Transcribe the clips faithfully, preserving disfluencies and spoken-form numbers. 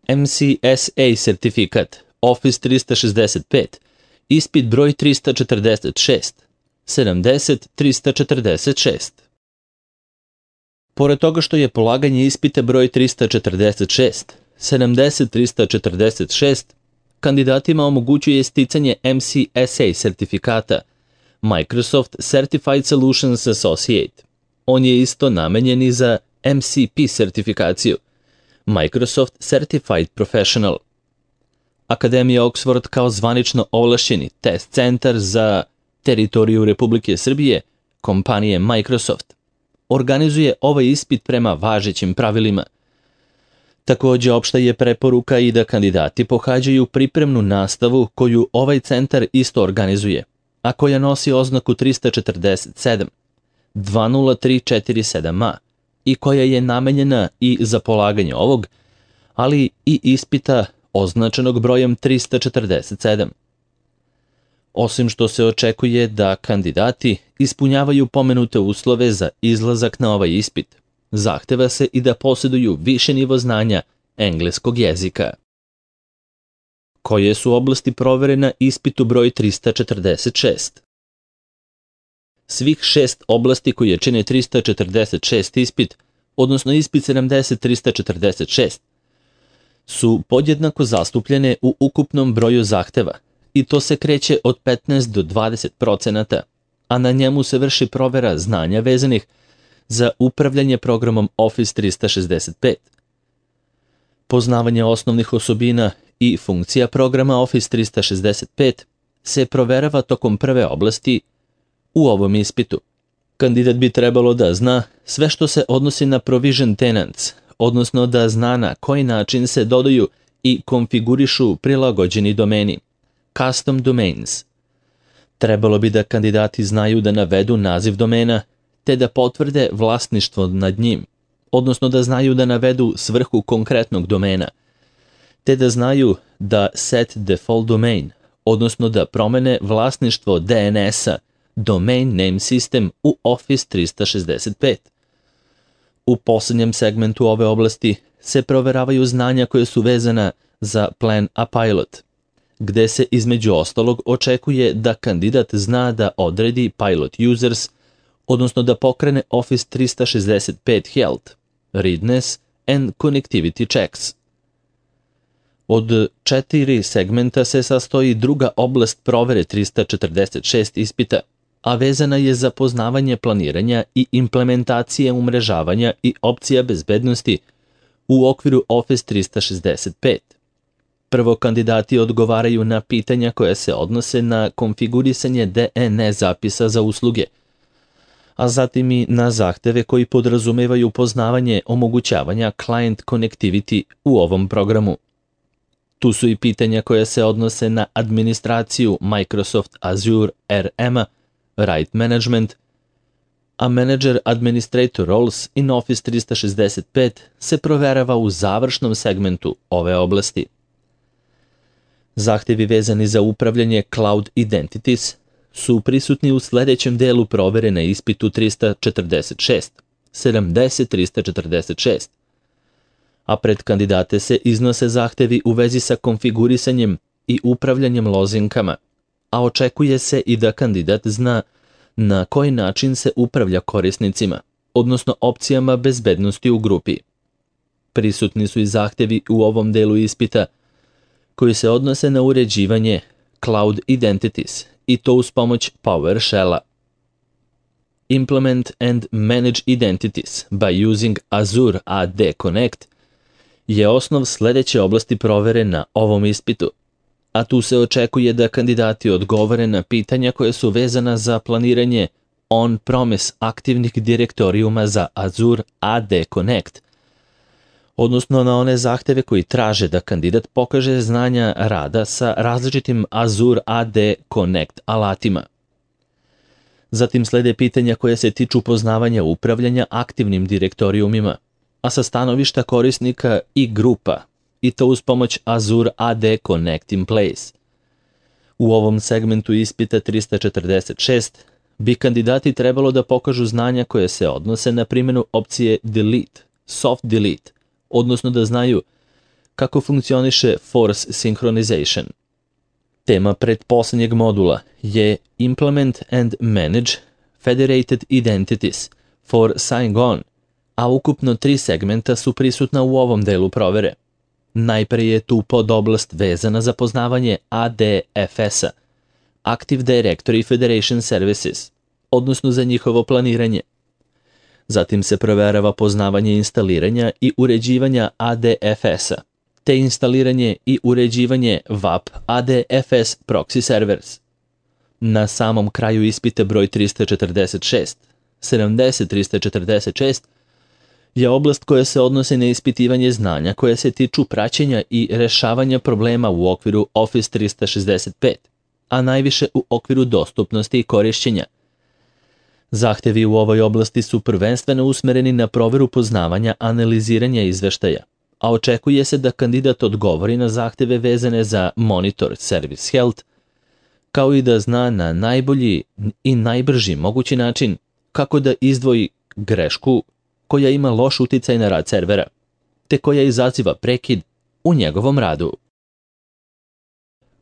M C S A sertifikat, Office trista šezdeset pet, ispit broj trista četrdeset šest, sedamdeset trista četrdeset šest. Pored toga što je polaganje ispita broj trista četrdeset šest, sedamdeset trista četrdeset šest, kandidatima omogućuje sticanje M C S A sertifikata, Microsoft Certified Solutions Associate. On je isto namenjen i za M C P sertifikaciju, Microsoft Certified Professional. Akademija Oxford kao zvanično ovlašćeni test centar za teritoriju Republike Srbije, kompanije Microsoft, organizuje ovaj ispit prema važećim pravilima. Takođe, opšta je preporuka i da kandidati pohađaju pripremnu nastavu koju ovaj centar isto organizuje, a koja nosi oznaku trista četrdeset sedam, dva nula tri četiri sedam A i koja je namenjena i za polaganje ovog, ali i ispita označenog brojem trista četrdeset sedam. Osim što se očekuje da kandidati ispunjavaju pomenute uslove za izlazak na ovaj ispit, zahteva se i da posjeduju više nivo znanja engleskog jezika. Koje su oblasti provere na ispitu broj trista četrdeset šest? Svih šest oblasti koje čine trista četrdeset šest ispit, odnosno ispit sedamdeset trista četrdeset šest, su podjednako zastupljene u ukupnom broju zahteva i to se kreće od petnaest do dvadeset procenata, a na njemu se vrši provera znanja vezanih za upravljanje programom Office trista šezdeset pet. Poznavanje osnovnih osobina i funkcija programa Office trista šezdeset pet se proverava tokom prve oblasti u ovom ispitu. Kandidat bi trebalo da zna sve što se odnosi na provision tenants, odnosno da zna na koji način se dodaju i konfigurišu prilagođeni domeni, custom domains. Trebalo bi da kandidati znaju da navedu naziv domena, te da potvrde vlasništvo nad njim, odnosno da znaju da navedu svrhu konkretnog domena, te da znaju da set default domain, odnosno da promene vlasništvo D N S-a, Domain Name System u Office trista šezdeset pet. U poslednjem segmentu ove oblasti se proveravaju znanja koje su vezana za Plan a Pilot, gde se između ostalog očekuje da kandidat zna da odredi Pilot Users, odnosno da pokrene Office trista šezdeset pet Health, Readiness and Connectivity Checks. Od četiri segmenta se sastoji druga oblast provere trista četrdeset šest ispita, a vezana je za poznavanje planiranja i implementacije umrežavanja i opcija bezbednosti u okviru Office trista šezdeset pet. Prvo, kandidati odgovaraju na pitanja koja se odnose na konfigurisanje D N S zapisa za usluge, a zatim i na zahteve koji podrazumevaju poznavanje omogućavanja client connectivity u ovom programu. Tu su i pitanja koja se odnose na administraciju Microsoft Azure R M-a, Right Management, a Manager Administrator Roles in Office trista šezdeset pet se proverava u završnom segmentu ove oblasti. Zahtevi vezani za upravljanje Cloud Identities su prisutni u sledećem delu provere na ispitu trista četrdeset šest, sedamdeset trista četrdeset šest, a pred kandidate se iznose zahtevi u vezi sa konfigurisanjem i upravljanjem lozinkama, a očekuje se i da kandidat zna na koji način se upravlja korisnicima, odnosno opcijama bezbednosti u grupi. Prisutni su i zahtevi u ovom delu ispita koji se odnose na uređivanje Cloud Identities i to uz pomoć PowerShell-a. Implement and manage identities by using Azure A D Connect je osnov sledeće oblasti provere na ovom ispitu, a tu se očekuje da kandidati odgovore na pitanja koje su vezana za planiranje on-premise aktivnih direktorijuma za Azure A D Connect, odnosno na one zahteve koji traže da kandidat pokaže znanja rada sa različitim Azure A D Connect alatima. Zatim slede pitanja koje se tiču poznavanja upravljanja aktivnim direktorijumima, a sa stanovišta korisnika i grupa, i to uz pomoć Azure A D Connect in Place. U ovom segmentu ispita trista četrdeset šest bi kandidati trebalo da pokažu znanja koje se odnose na primjenu opcije Delete, Soft Delete, odnosno da znaju kako funkcioniše force synchronization. Tema pretposlednjeg modula je Implement and Manage Federated Identities for Sign-On, a ukupno tri segmenta su prisutna u ovom delu provere. Najpre je tu podoblast vezana za poznavanje A D F S-a, Active Directory Federation Services, odnosno za njihovo planiranje. Zatim se proverava poznavanje instaliranja i uređivanja A D F S-a, te instaliranje i uređivanje V A P A D F S Proxy Servers. Na samom kraju ispita broj trista četrdeset šest, sedamdeset trista četrdeset šest je oblast koja se odnosi na ispitivanje znanja koje se tiču praćenja i rešavanja problema u okviru Office trista šezdeset pet, a najviše u okviru dostupnosti i korišćenja. Zahtevi u ovoj oblasti su prvenstveno usmereni na proveru poznavanja analiziranja izveštaja, a očekuje se da kandidat odgovori na zahteve vezane za Monitor Service Health, kao i da zna na najbolji i najbrži mogući način kako da izdvoji grešku koja ima loš uticaj na rad servera, te koja izaziva prekid u njegovom radu.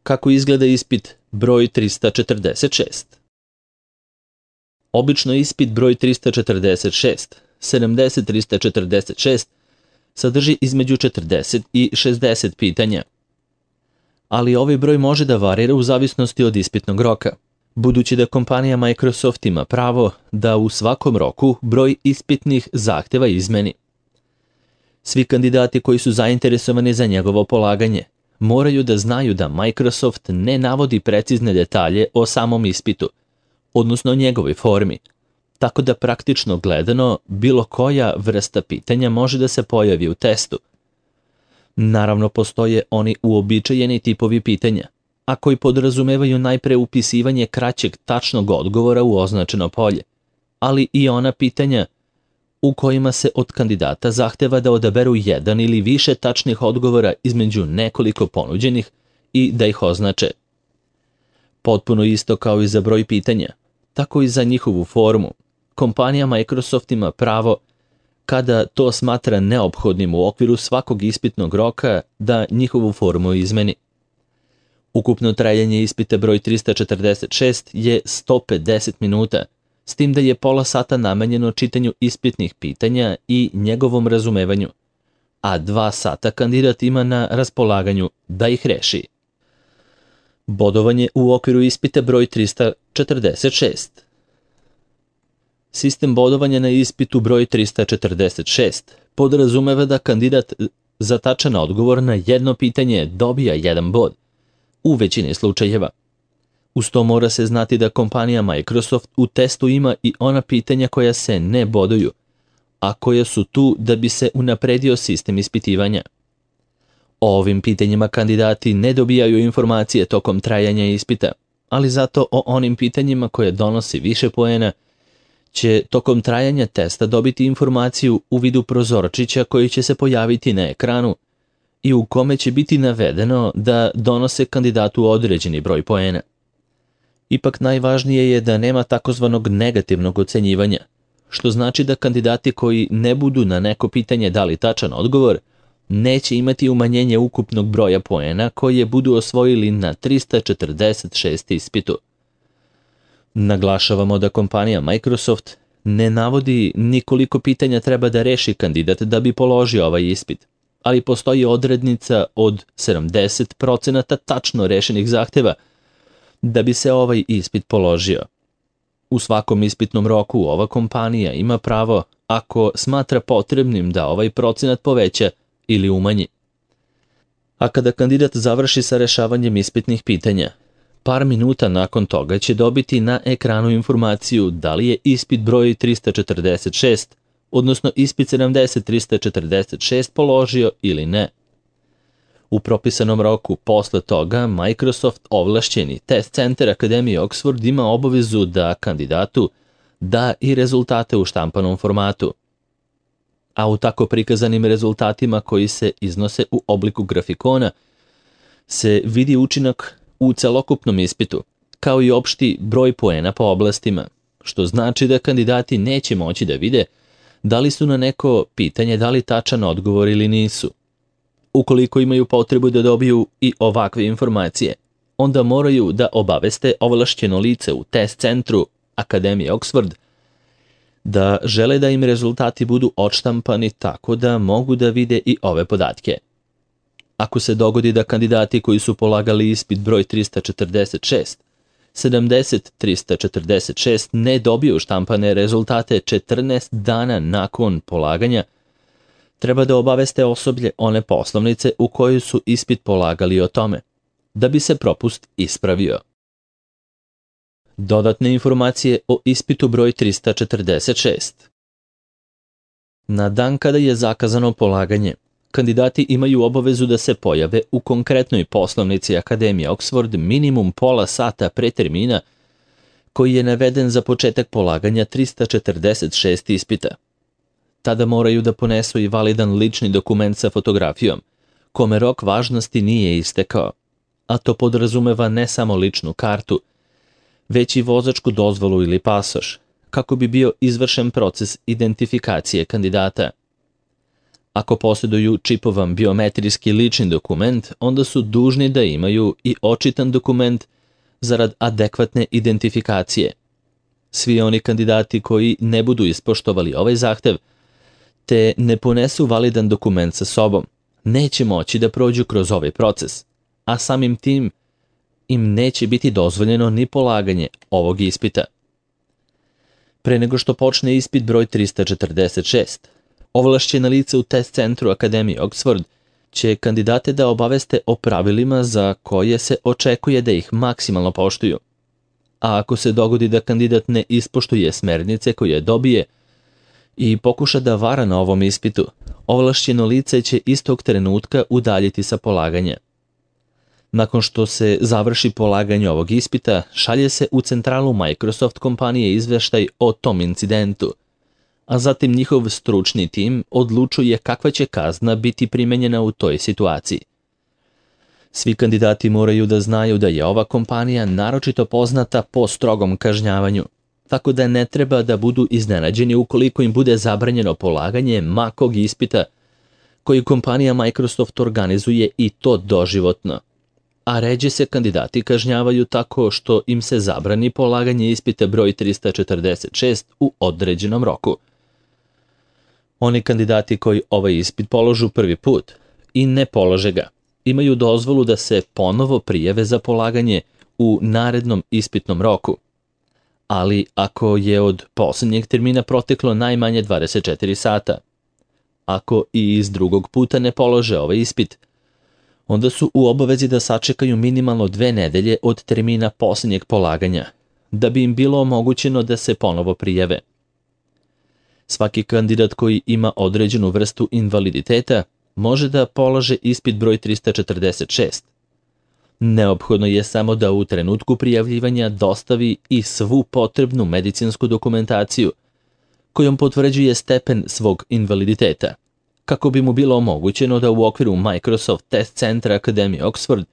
Kako izgleda ispit broj trista četrdeset šest? Obično ispit broj trista četrdeset šest, sedamdeset trista četrdeset šest sadrži između četrdeset i šezdeset pitanja, ali ovaj broj može da varira u zavisnosti od ispitnog roka, budući da kompanija Microsoft ima pravo da u svakom roku broj ispitnih zahteva izmeni. Svi kandidati koji su zainteresovani za njegovo polaganje moraju da znaju da Microsoft ne navodi precizne detalje o samom ispitu, odnosno o njegovoj formi, tako da praktično gledano bilo koja vrsta pitanja može da se pojavi u testu. Naravno, postoje oni uobičajeni tipovi pitanja, a koji podrazumevaju najpre upisivanje kraćeg tačnog odgovora u označeno polje, ali i ona pitanja u kojima se od kandidata zahteva da odaberu jedan ili više tačnih odgovora između nekoliko ponuđenih i da ih označe. Potpuno isto kao i za broj pitanja, tako i za njihovu formu. Kompanija Microsoft ima pravo, kada to smatra neophodnim u okviru svakog ispitnog roka, da njihovu formu izmeni. Ukupno trajanje ispita broj trista četrdeset šest je sto pedeset minuta, s tim da je pola sata namenjeno čitanju ispitnih pitanja i njegovom razumevanju, a dva sata kandidat ima na raspolaganju da ih reši. Bodovanje u okviru ispita broj trista četrdeset šest. Sistem bodovanja na ispitu broj trista četrdeset šest podrazumeva da kandidat za tačan odgovor na jedno pitanje dobija jedan bod, u većini slučajeva. Uz to mora se znati da kompanija Microsoft u testu ima i ona pitanja koja se ne boduju, a koja su tu da bi se unapredio sistem ispitivanja. O ovim pitanjima kandidati ne dobijaju informacije tokom trajanja ispita, ali zato o onim pitanjima koje donosi više poena će tokom trajanja testa dobiti informaciju u vidu prozorčića koji će se pojaviti na ekranu i u kome će biti navedeno da donose kandidatu određeni broj poena. Ipak najvažnije je da nema takozvanog negativnog ocenjivanja, što znači da kandidati koji ne budu na neko pitanje dali tačan odgovor, neće imati umanjenje ukupnog broja poena koje budu osvojili na trista četrdeset šest ispitu. Naglašavamo da kompanija Microsoft ne navodi ni koliko pitanja treba da reši kandidat da bi položio ovaj ispit, ali postoji odrednica od sedamdeset procenata tačno rešenih zahteva da bi se ovaj ispit položio. U svakom ispitnom roku ova kompanija ima pravo, ako smatra potrebnim, da ovaj procenat poveća ili umanji. A kada kandidat završi sa rešavanjem ispitnih pitanja, par minuta nakon toga će dobiti na ekranu informaciju da li je ispit broj trista četrdeset šest, odnosno ispit sedamdeset trista četrdeset šest položio ili ne. U propisanom roku posle toga Microsoft ovlašćeni test centar Akademije Oxford ima obavezu da kandidatu da i rezultate u štampanom formatu. A u tako prikazanim rezultatima koji se iznose u obliku grafikona se vidi učinak u celokupnom ispitu, kao i opšti broj poena po oblastima, što znači da kandidati neće moći da vide da li su na neko pitanje dali tačan odgovor ili nisu. Ukoliko imaju potrebu da dobiju i ovakve informacije, onda moraju da obaveste ovlašćeno lice u test centru Akademije Oxford da žele da im rezultati budu odštampani tako da mogu da vide i ove podatke. Ako se dogodi da kandidati koji su polagali ispit broj trista četrdeset šest, sedamdeset trista četrdeset šest ne dobiju štampane rezultate četrnaest dana nakon polaganja, treba da obaveste osoblje one poslovnice u kojoj su ispit polagali o tome, da bi se propust ispravio. Dodatne informacije o ispitu broj trista četrdeset šest. Na dan kada je zakazano polaganje, kandidati imaju obavezu da se pojave u konkretnoj poslovnici Akademije Oxford minimum pola sata pre termina koji je naveden za početak polaganja trista četrdeset šest ispita. Tada moraju da ponesu i validan lični dokument sa fotografijom, kome rok važnosti nije istekao, a to podrazumeva ne samo ličnu kartu, već i vozačku dozvolu ili pasoš, kako bi bio izvršen proces identifikacije kandidata. Ako posjeduju čipovan biometrijski lični dokument, onda su dužni da imaju i očitan dokument zarad adekvatne identifikacije. Svi oni kandidati koji ne budu ispoštovali ovaj zahtev, te ne ponesu validan dokument sa sobom, neće moći da prođu kroz ovaj proces, a samim tim im neće biti dozvoljeno ni polaganje ovog ispita. Pre nego što počne ispit broj trista četrdeset šest, ovlašćena lica u test centru Akademije Oxford će kandidate da obaveste o pravilima za koje se očekuje da ih maksimalno poštuju. A ako se dogodi da kandidat ne ispoštuje smernice koje dobije i pokuša da vara na ovom ispitu, ovlašćeno lice će istog trenutka udaljiti sa polaganja. Nakon što se završi polaganje ovog ispita, šalje se u centralu Microsoft kompanije izveštaj o tom incidentu, a zatim njihov stručni tim odlučuje kakva će kazna biti primenjena u toj situaciji. Svi kandidati moraju da znaju da je ova kompanija naročito poznata po strogom kažnjavanju, tako da ne treba da budu iznenađeni ukoliko im bude zabranjeno polaganje makog ispita koji kompanija Microsoft organizuje i to doživotno. A ređe se kandidati kažnjavaju tako što im se zabrani polaganje ispita broj trista četrdeset šest u određenom roku. Oni kandidati koji ovaj ispit položu prvi put i ne polože ga, imaju dozvolu da se ponovo prijave za polaganje u narednom ispitnom roku. Ali ako je od posljednjeg termina proteklo najmanje dvadeset četiri sata, ako i iz drugog puta ne polože ovaj ispit, onda su u obavezi da sačekaju minimalno dve nedelje od termina posljednjeg polaganja, da bi im bilo omogućeno da se ponovo prijave. Svaki kandidat koji ima određenu vrstu invaliditeta može da polaže ispit broj trista četrdeset šest. Neophodno je samo da u trenutku prijavljivanja dostavi i svu potrebnu medicinsku dokumentaciju kojom potvrđuje stepen svog invaliditeta, kako bi mu bilo omogućeno da u okviru Microsoft Test Centra Akademije Oxford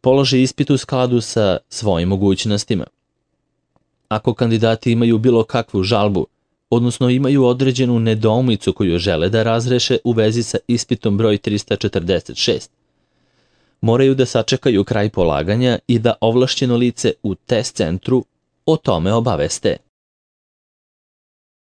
položi ispit u skladu sa svojim mogućnostima. Ako kandidati imaju bilo kakvu žalbu, odnosno imaju određenu nedoumicu koju žele da razreše u vezi sa ispitom broj trista četrdeset šest, moraju da sačekaju kraj polaganja i da ovlašćeno lice u test centru o tome obaveste.